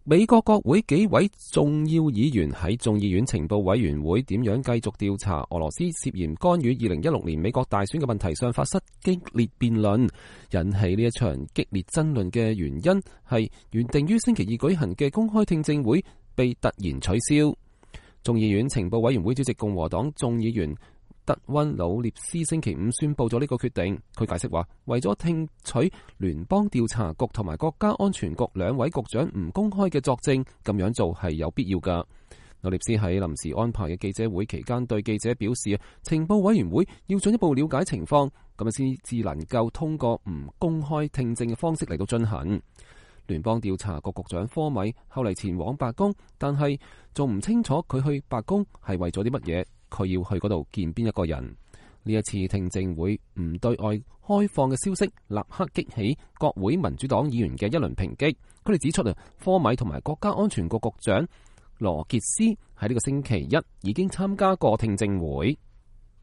美國國會幾位重要議員喺眾議院情報委員會點樣繼續調查俄羅斯涉嫌干預2016年美國大選嘅問題上發生激烈辯論，引起呢一場激烈爭論嘅原因係原定於星期二舉行嘅公開聽證會被突然取消。眾議院情報委員會主席共和黨眾議員德溫努涅斯星期五宣布咗呢個決定。佢解釋話，為咗聽取聯邦調查局同埋國家安全局兩位局長唔公開嘅作證，咁樣做係有必要噶。努涅斯喺臨時安排嘅記者會期間對記者表示，情報委員會要進一步了解情況，咁樣先至能夠通過唔公開聽證嘅方式嚟到進行。聯邦調查局局長科米後嚟前往白宮，但係仲唔清楚佢去白宮係為咗啲乜嘢。佢要去嗰度見邊一個人？呢一次聽證會唔對外開放嘅消息，立刻激起國會民主黨議員嘅一輪抨擊。佢哋指出科米同埋國家安全局局長羅傑斯喺呢個星期一已經參加過聽證會。